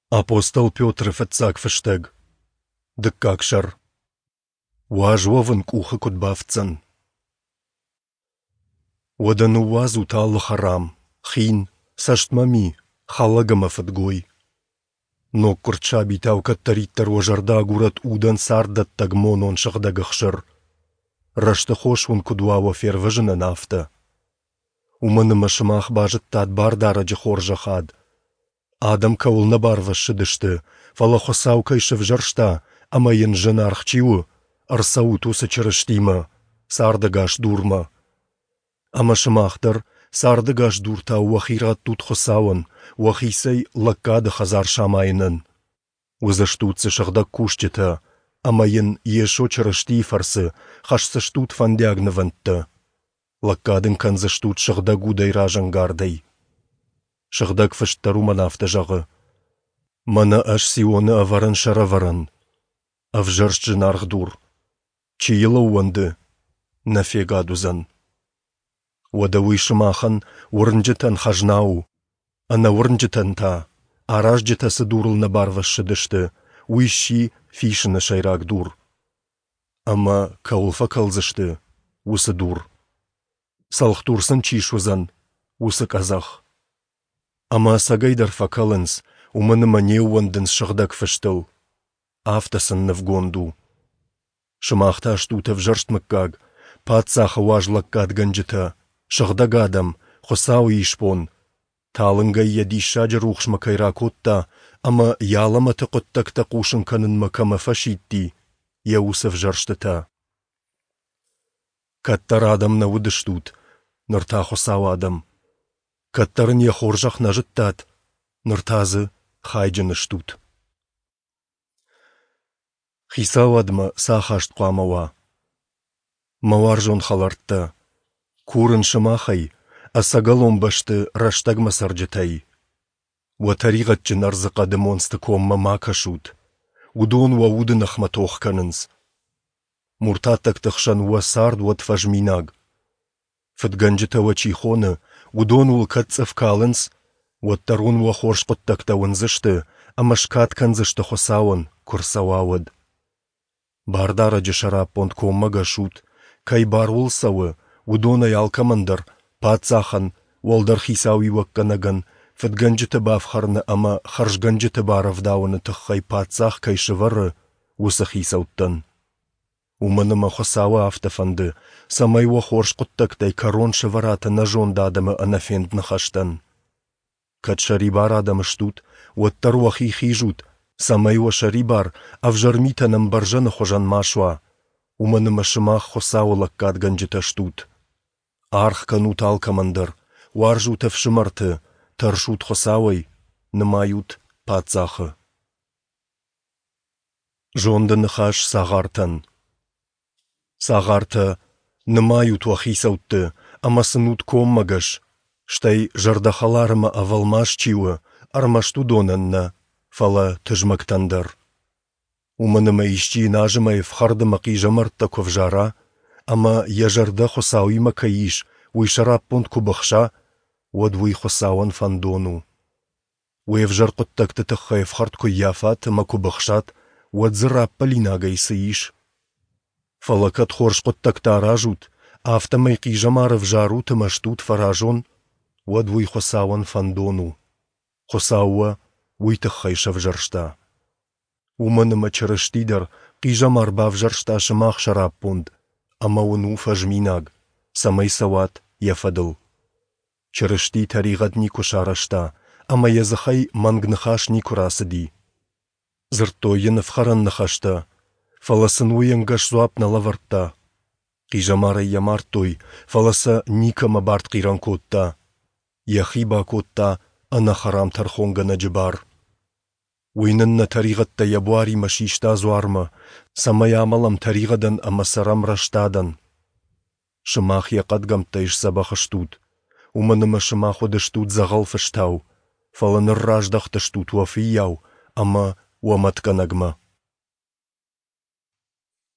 Апостол Петры фыццаг фыстӕг, дыккаг сӕр. Уаз уӕвын къухы куыд бафтдзӕн? Уӕдӕ ныууадзут алы хӕрам, хин, цӕстмӕ ми, хӕлӕг ӕмӕ фыдгой. Ноггуырд сабитау кӕддӕриддӕр уӕ зӕрдӕ агурӕд удӕн царддӕттӕг монон сыгъдӕг ӕхсыр. Рӕзты хос уын куыд уа уӕ фервӕзынӕн, афтӕ. Уымӕн ӕмӕ сымах базыдтат Бардарӕджы хорзӕхад, Адӕм кӕуыл нӕ барвӕссыдысты, фӕлӕ Хуыцау кӕй сӕвзӕрста ӕмӕ йын зынаргъ чи у, ӕрцӕут уыцы Чырыстимӕ, цардӕгас дурмӕ. Ӕмӕ сымах дӕр цардӕгас дуртау уӕхи раттут Хуыцауӕн, уӕхицӕй лӕггады хӕдзар самайынӕн. Уыдзыстут дзы сыгъдӕг кусджытӕ, ӕмӕ йын Йесо Чырыстийы фӕрцы хӕсдзыстут фӕндиаг нывӕндтӕ. Лӕггад ын кӕндзыстут сыгъдӕг удӕй разӕнгардӕй. Сыгъдӕг Фыст дӕр уымӕн афтӕ зӕгъы: Мӕнӕ ӕз Сионы ӕвӕрын сӕрӕвӕрӕн, ӕвзӕрст зынаргъ дур. Чи йыл ӕууӕнды, нӕ фегад уыдзӕн. Уӕдӕ уый сымахӕн, уырнджытӕн, хӕзна у, ӕнӕуырнджытӕн та, аразджытӕ цы дурыл нӕ барвӕссыдысты, уый сси фисыны сӕйраг дур. Ӕмӕ кӕуыл фӕкӕлдзысты, уыцы дур. Цӕлхдур сын чи суыдзӕн, уыцы къӕдзӕх. Ӕмӕ ӕцӕгӕйдӕр фӕкӕлынц, уымӕн ӕмӕ не ууӕндынц Сыгъдӕг Фыстыл. Афтӕ сын нывгонд у. Сымах та стут ӕвзӕрст мыггаг, паддзахы уаз лӕггадгӕнджытӕ, сыгъдӕг адӕм, Хуыцауы исбон, талынгӕй йӕ диссаджы рухсмӕ кӕй ракодта ӕмӕ йӕ алӕмӕты хъуыддӕгтӕ хъусын кӕнынмӕ кӕмӕ фӕсидти, йӕ уыцы ӕвзӕрстытӕ. Кӕддӕр адӕм нӕ уыдыстут, ныр та Хуыцауы адӕм. Кӕддӕр ын йӕ хорзӕх нӕ зыдтат, ныр та дзы хайджын стут. Хицауадмӕ цы ахаст хъуамӕ уа? Мӕ уарзон хӕлӕрттӕ, курын сымахӕй, ӕцӕгӕлон бӕсты рӕстӕгмӕ цӕрджытӕй. Уӕ тӕригъӕдджын ӕрдзыхъӕды монцты коммӕ ма кӕсут. Уыдон уӕ уды ныхмӕ тох кӕнынц. Муртаттӕгты хсӕн уӕ цард уӕд фӕзминаг. Фыдгӕнджытӕ уӕ чи хоны, уыдон уыл кӕд цъыф калынц, уӕддӕр уын уӕ хорз хъуыддӕгтӕ уындзысты ӕмӕ скад кӕндзысты Хуыцауӕн, куы рцӕуа, уӕд. Бардарӕджы сӕраппонд коммӕгӕс ут, кӕй бар уыл цӕуы, уыдонӕй алкӕмӕн дӕр, паддзахӕн, уӕлдӕр хицауиуӕггӕнӕгӕн, фыдгӕнджыты бафхӕрыны ӕмӕ хӕрзгӕнджыты барӕвдауыны тыххӕй паддзах кӕй сӕвӕры, уыцы хицӕуттӕн. Уымӕн ӕмӕ Хуыцауы афтӕ фӕнды, цӕмӕй уӕ хорз хъуыддӕгтӕй кӕрон сӕвӕрат ӕнӕзонд адӕмы ӕнӕфенд ныхӕстӕн. Кӕд сӕрибар адӕм стут, уӕддӕр уӕхи хизут, цӕмӕй уӕ сӕрибар ӕвзӕр митӕн ӕмбӕрзӕны хуызӕн ма суа, уымӕн ӕмӕ сымах Хуыцауы лӕггадгӕнджытӕ стут. Аргъ кӕнут алкӕмӕн дӕр, уарзут ӕфсымӕрты, тӕрсут Хуыцауӕй, нымайут паддзахы. Зонды ныхас цагъартӕн. Цагъартӕ, нымайут уӕ хицӕутты ӕмӕ сын ут коммӕгӕс, стӕй зӕрдӕхӕлар ӕмӕ ӕвӕлмас чи у, ӕрмӕст уыдонӕн нӕ, фӕлӕ тызмӕгтӕн дӕр. Уымӕн ӕмӕ исчи йын азымӕй ӕфхӕрд ӕмӕ хъизӕмӕрттӕ куы ӕвзара, ӕмӕ йӕ зӕрдӕ Хуыцауимӕ кӕй ис, уый сӕраппонд куы быхса, уӕд уый Хуыцауӕн фӕндон у. Уе взӕр хъуыддӕгты тыххӕй ӕфхӕрд куы ййафат ӕмӕ куы быхсат, уӕд дзы раппӕлинагӕй цы ис? Фӕлӕ кӕд хорз хъуыддӕгтӕ аразут, афтӕмӕй хъизӕмар ӕвзарут ӕмӕ стут фӕразон, уӕд уый Хуыцауӕн фӕндон у. Хуыцау уӕ уый тыххӕй сӕвзӕрста. Уымӕн ӕмӕ Чырысти дӕр хъизӕмар бавзӕрста сымах сӕраппонд, ӕмӕ уын у фӕзминаг, цӕмӕй цӕуат йӕ фӕдыл. Чырысти тӕригъӕд никуы сарӕзта, ӕмӕ йӕ дзыхӕй мӕнг ныхас никуы рацыди. Дзырдтой йын ӕфхӕрӕн ныхӕстӕ, фӕлӕ сын уый ӕнгӕс дзуапп нӕ лӕвӕрдта. Хъизӕмарӕй йӕ мардтой, фӕлӕ сӕ никӕмӕ бартхъирӕн кодта. Йӕхи бакодта ӕнӕхӕрам тӕрхонгӕнӕджы бар. Уый нын нӕ тӕригъӕдтӕ йӕ буаримӕ систа дзуармӕ, цӕмӕй амӕлӕм тӕригъӕдӕн ӕмӕ цӕрӕм рӕстадӕн. Сымах йӕ хъӕдгӕмттӕй сдзӕбӕх стут, уымӕн ӕмӕ сымах уыдыстут дзӕгъӕл фыстау, фӕлӕ ныр раздӕхтыстут уӕ фыййау ӕмӕ уӕ мӕтгӕнӕгмӕ.